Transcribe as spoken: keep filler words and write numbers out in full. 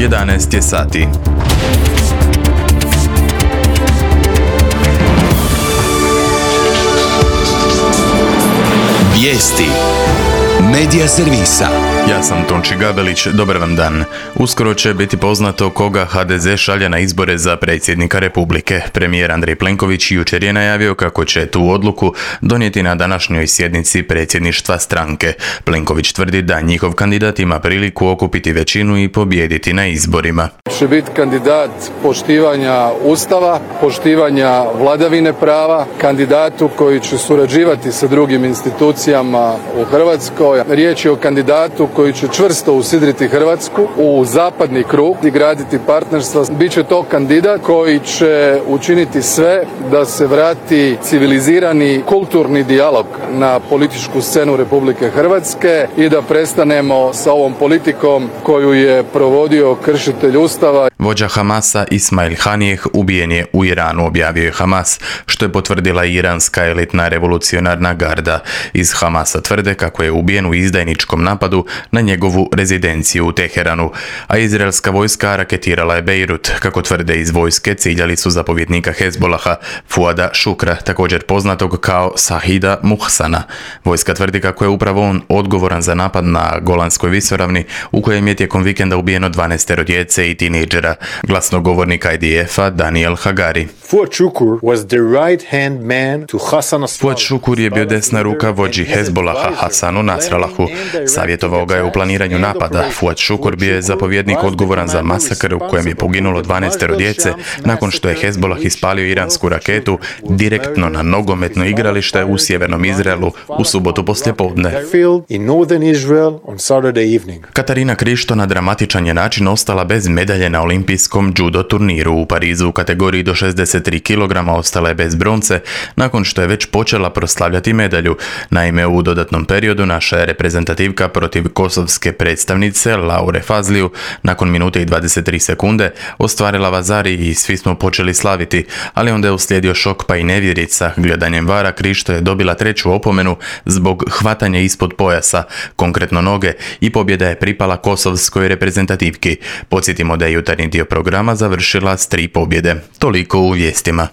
jedanaest je sati. Vijesti Medija servisa. Ja sam Tonči Gabelić, dobar vam dan. Uskoro će biti poznato koga ha de ze šalje na izbore za predsjednika Republike. Premijer Andrej Plenković jučer je najavio kako će tu odluku donijeti na današnjoj sjednici predsjedništva stranke. Plenković tvrdi da njihov kandidat ima priliku okupiti većinu i pobijediti na izborima. Će biti kandidat poštivanja Ustava, poštivanja vladavine prava, kandidatu koji će surađivati sa drugim institucijama u Hrvatskoj. Riječ je o kandidatu koji će čvrsto usidriti Hrvatsku u zapadni krug i graditi partnerstva. Biće to kandidat koji će učiniti sve da se vrati civilizirani kulturni dijalog na političku scenu Republike Hrvatske i da prestanemo sa ovom politikom koju je provodio kršitelj Ustava. Vođa Hamasa Ismail Hanijeh ubijen je u Iranu, objavio je Hamas, što je potvrdila iranska elitna revolucionarna garda. Iz Hamasa tvrde kako je ubijen u izdajničkom napadu na njegovu rezidenciju u Teheranu, a izraelska vojska raketirala je Bejrut. Kako tvrde iz vojske, ciljali su zapovjednika Hezbolaha Fuada Šukra, također poznatog kao Sahida Muhsana. Vojska tvrdi kako je upravo on odgovoran za napad na Golanskoj visoravni, u kojem je tijekom vikenda ubijeno dvanaestero djece i tinejdžera. Glasnogovornik i de ef-a Daniel Hagari. Fuad Šukur was the right hand man to Hassan Nasrallah. Fuad Šukur je bio desna ruka vođi Hezbolaha Hasanu Nasrallahu. Savjetovao ga je u planiranju napada. Fuad Šukur bio je zapovjednik odgovoran za masakr u kojem je poginulo dvanaestero djece nakon što je Hezbolah ispalio iransku raketu direktno na nogometno igralište u sjevernom Izraelu u subotu poslijepodne. Katarina Krišto na dramatičan je način ostala bez medalje na olimpijskom judo turniru. U Parizu u kategoriji do šezdeset tri kilograma ostala je bez bronce nakon što je već počela proslavljati medalju. Naime, u dodatnom periodu naša je reprezentativka protiv kosovske predstavnice Laure Fazliju nakon minute i dvadeset tri sekunde ostvarila vazari i svi smo počeli slaviti, ali onda je uslijedio šok pa i nevjerica. Gledanjem vara Krišto je dobila treću opomenu zbog hvatanja ispod pojasa, konkretno noge, i pobjeda je pripala kosovskoj reprezentativki. Podsjetimo da je jutarnji dio programa završila s tri pobjede. Toliko u vijestima.